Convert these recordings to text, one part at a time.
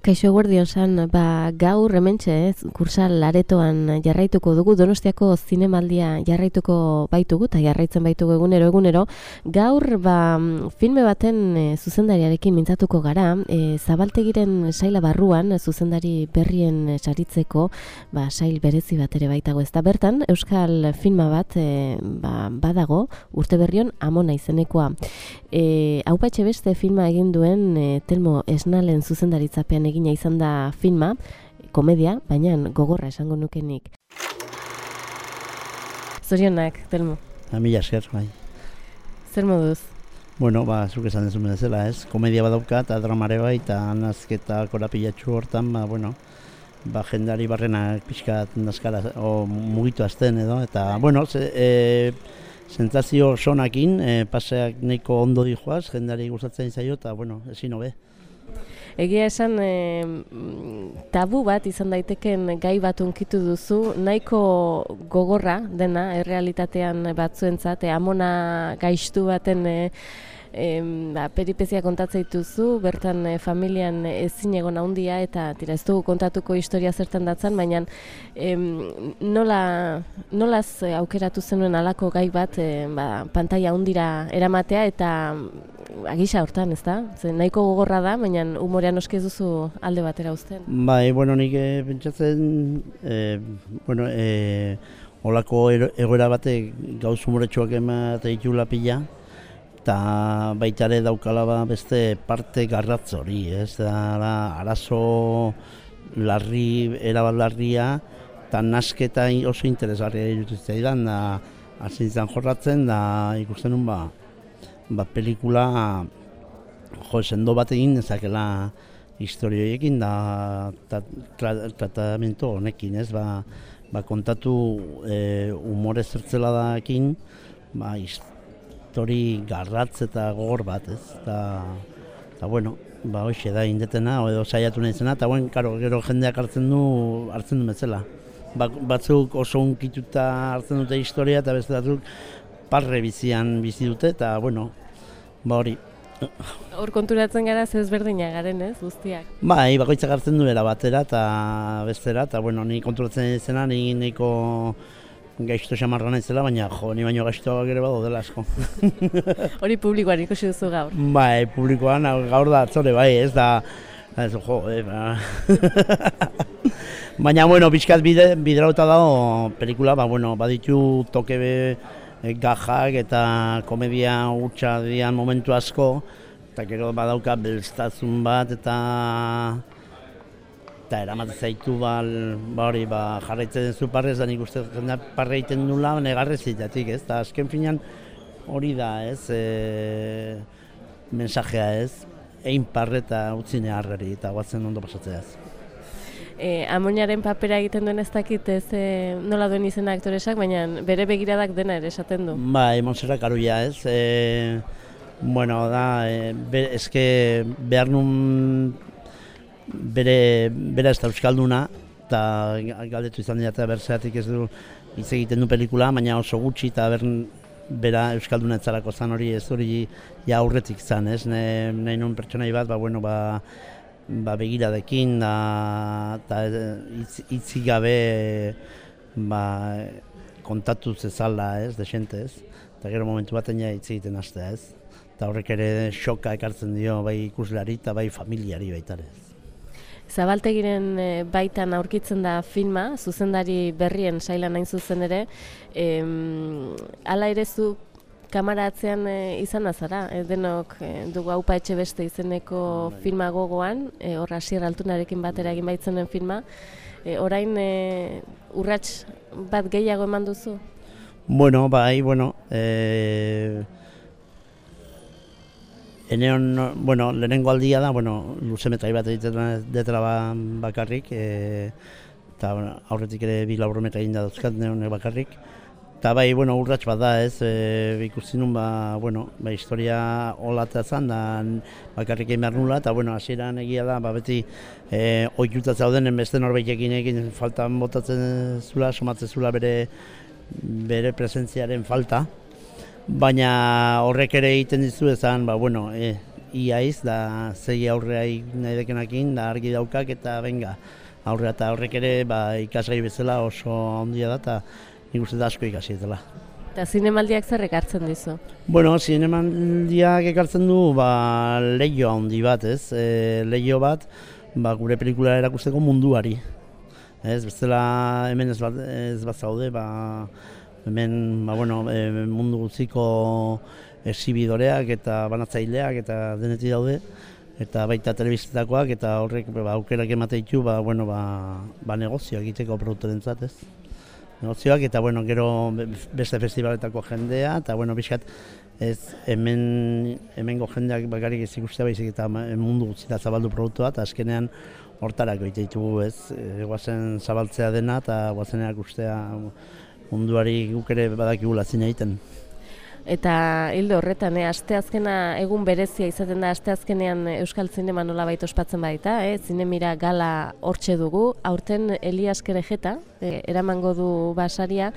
Kaixo eguerdion san, gaur hementxe, kursal aretoan jarraituko dugu, Donostiako zinemaldia jarraituko baitugu, eta jarraitzen baitugu egunero. Gaur, filme baten zuzendariarekin mintzatuko gara, Zabaltegiren saila barruan, zuzendari berrien saritzeko, sail berezi bat ere baitago ez da. Bertan, euskal filma bat badago, urte berrion Amona izenekoa. Aupa Etxebeste filma egin duen Telmo Esnalen zuzendaritzapean egina izan da filma, komedia, baina gogorra esango nukenik. Zorionak, Telmo. Mila esker, bai. Zer moduz? Bueno, zuk esan dezun bezala, ez? Komedia badauka eta dramare bai, eta nazketa korapilatxu hortan, jendari barrenak pixkat nazkara, mugitu azten edo, eta, sentsazio sonakin, paseak nahiko ondo dijoaz, jendari gustatzen zaio, eta, ezin hobe. Egia esan, tabu bat izan daiteken gai bat unkitu duzu, nahiko gogorra dena, errealitatean batzuentzat, Amona gaiztu baten peripezia kontatzen dituzu, bertan familian ezin egon handia, eta ez dugu kontatuko historia zertan datzan, baina nolaz aukeratu zenuen halako gai bat pantaila handira eramatea, eta agisa hortan, ez da? Nahiko gogorra da, baina umorean oske ez duzu alde batera uzten. Nik pentsatzen, holako egoera batek gauz umoretsuak ematen ditula pila, eta baita ere daukala beste parte garratz hori, ez da arazo larri, erabat larria, eta nasketa oso interesgarria iruditzen da, hasi izan jorratzen, da ikusten nun pelikula sendo bat egin ezakela historioekin da tratamentu honekin, ez? Kontatu umore zertzela dakin, histori garratz eta gogor bat, ez? Hoxe da indetena, edo saiatu nahi zena, eta gero jendeak hartzen du bezala. Batzuk oso unkituta hartzen dute historia, eta beste batzuk parre bizian bizi dute, eta hori. Hor konturatzen gara ezberdinak garen, ez, guztiak? Bakoitzak hartzen duela batera eta bestera, eta ni konturatzen izena, ni nahiko gaizto xamarra naizela, baina ni baino gaiztoak ere badaudela asko. Hori publikoan ikusi duzu gaur? Publikoan gaur da atzore, ez da, baina, pixkat biderauta dago pelikula, baditu toke gajak eta komedia hutsa dian momentu asko, eta gero badauka belztazun bat, eta eramaten zaitu jarraitzen zu parrez, da nik uste jendeak parre egiten nula negarrez zitatik, ez? Eta azken finean hori da, ez? Mensajea, ez? Egin parre eta utzine harreri, eta guatzen ondo pasatzea, ez? Amonaren papera egiten duen ez dakit, ez nola duen izena aktoresak, baina bere begiradak dena ere esaten du. Montserrat Karulla, ez? Eske behar nun bera ez da euskalduna, eta galdetu izan dira eta berzeatik ez du hitz egiten du pelikula, baina oso gutxi eta bera euskalduna etzarako zan hori, ez hori aurretik zan, ez? Nahi nun pertsonai bat, begiradekin eta hitzik gabe kontatu zezala, ez, desente, ez? Eta gero momentu baten hitz egiten hastea, ez? Eta horrek ere xoka ekartzen dio bai ikuslari eta bai familiari baita ere. Zabaltegiren baitan aurkitzen da filma, zuzendari berrien sailan hain zuzen ere, hala ere zu kamara atzean izan azara, denok dugu Aupa Etxebeste izeneko filma gogoan, hor Asier Altunarekin batera egin baitzenen filma, orain urrats bat gehiago eman duzu? Lehenengo aldia da, luzemetrai bat egiten detara bakarrik, eta aurretik ere bi laburmetra egin da dauzkat neonek bakarrik. Eta urrats bat da, ez, ikusi nun, historia olatea zan, da bakarrik egin behar nula, eta hasieran egia da, beti ohituta zaudenen beste norbaitekin egin faltan botatzen zula, somatzen zula bere presentziaren falta, baina horrek ere egiten dizu ezan, iaiz, da zei aurrea nahi dekenakin, da argi daukak eta benga. Aurrea eta horrek ere ikasgai bezala oso handia da, eta nik uste da asko ikasi dela. Eta zinemaldiak zer ekartzen dizu? Bueno, zinemaldiak ekartzen du leiho handi bat, ez? Leiho bat, gure pelikula erakusteko munduari. Ez, bestela hemen ez bat zaude, hemen mundu guztiko exhibidoreak eta banatzaileak eta denetik daude, eta baita telebistetakoak, eta horrek aukerak ematen ditu negozioak egiteko produktorentzat, ez? Negozioak eta gero beste festivaletako jendea, eta bizkat ez hemengo jendeak bakarrik ez ikustea baizik eta mundu guztira zabaldu produktua, eta azkenean hortarako egite ditugu, ez? Guazen zabaltzea dena eta guazen erakustea munduari guk ere badakigula zine egiten. Eta hildo horretan, asteazkena egun berezia izaten da, asteazkenean Euskal Zinema nolabait ospatzen baita, Zinemira gala hortxe dugu, aurten Elias Kerejeta, eramango du saria,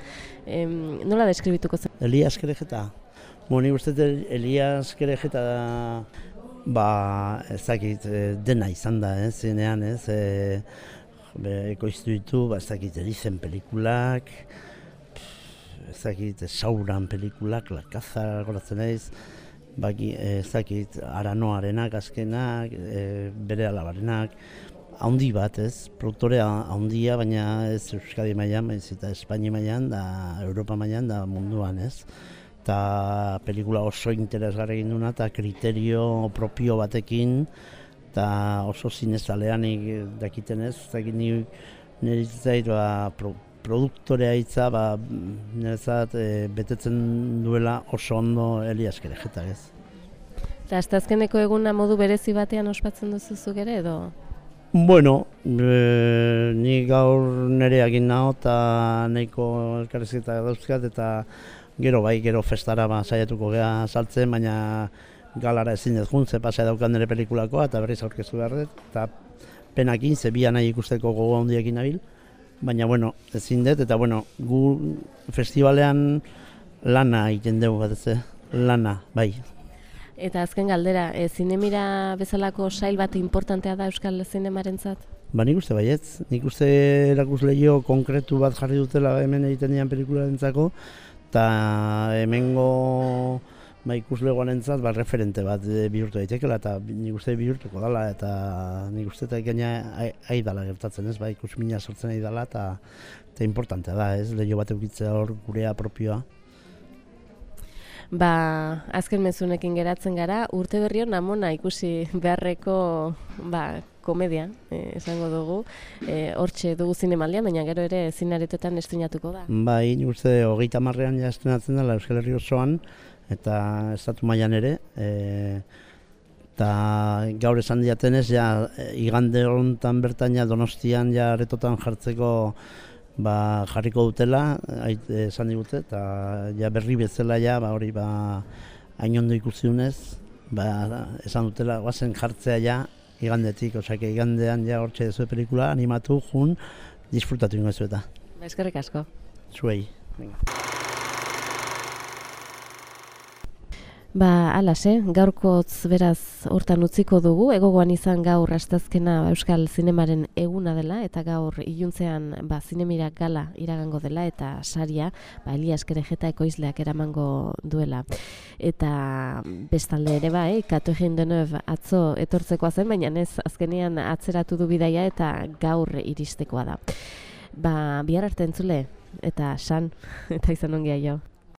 nola deskribituko zen? Elias Kerejeta? Nik uste Elias Kerejeta ez dakit dena izan da, zinean, ekoiztu ditu, ez dakit Elizen pelikulak, ez dakit Sauran pelikulak, Lakazar goratzen naiz, ez dakit Aranoarenak azkenak, bere alabarenak, handi bat, produktorea handia, baina ez Euskadi mailan, baizik eta Espainia mailan, da Europa mailan, da munduan, eta pelikula oso interesgarri egin duna, eta kriterio propio batekin, eta oso zinezaleanik dakiten ez dakit nire zait produktorea hitza niretzat betetzen duela oso ondo Elias Kerejeta, ez. Eta asteazkeneko eguna modu berezi batean ospatzen duzuzuk ere, edo? Bueno, ni gaur nire egin naho eta nahiko elkarrizketa dauzkat, eta gero festara saiatuko gea saltzen, baina galara ezin ez juntze pasai daukan nire pelikulakoa eta berriz aurkeztu behar dut, eta penakin, zebian nahi ikusteko gogo handiekin nabil, baina ezin dut, eta gu festivalean lana egiten dugu bat ez, lana, bai. Eta azken galdera, Zinemira bezalako sail bat importantea da Euskal Zinemarentzat? Nik uste baietz, nik uste erakusleio konkretu bat jarri dutela hemen egiten dian pelikularentzako, eta hemengo ikuslegoarentzat referente bat bihurtu daitekeela, eta nik uste bihurtuko dela, eta nik uste eta gaina aidala gertatzen, ikusmina sortzen aidala, eta importantea da, leio bat eukitzea hor gurea propioa. Azken mezunekin geratzen gara, urte berrion amona ikusi beharreko komedia, esango dugu, hortxe dugu zinemaldian, baina gero ere zinaretoetan estrenatuko da. Nik uste 30ean ja estrenatzen dela Euskal Herri osoan, eta estatu mailan ere, eta gaur esan diatenez, igande honetan bertan Donostian aretotan jartzeko jarriko dutela, esan digute, eta berri bezala hori hain ondo ikusi dunez, esan dutela, guazen jartzea igandetik, igandean hortxe dezue pelikula, animatu, jun, disfrutatu ingo ez eta. Eskerrik asko. Zuei. Alase, gaurkotz beraz hortan utziko dugu, egogoan izan gaur asteazkena Euskal Zinemaren eguna dela, eta gaur iluntzean Zinemira gala iragango dela, eta saria Elias Kerejeta ekoizleak eramango duela. Eta bestalde ere Kato egin denov atzo etortzekoa zen, baina ez azkenean atzeratu du bidaia eta gaur iristekoa da. Bihar arte entzule, eta san, eta izan ongia jo.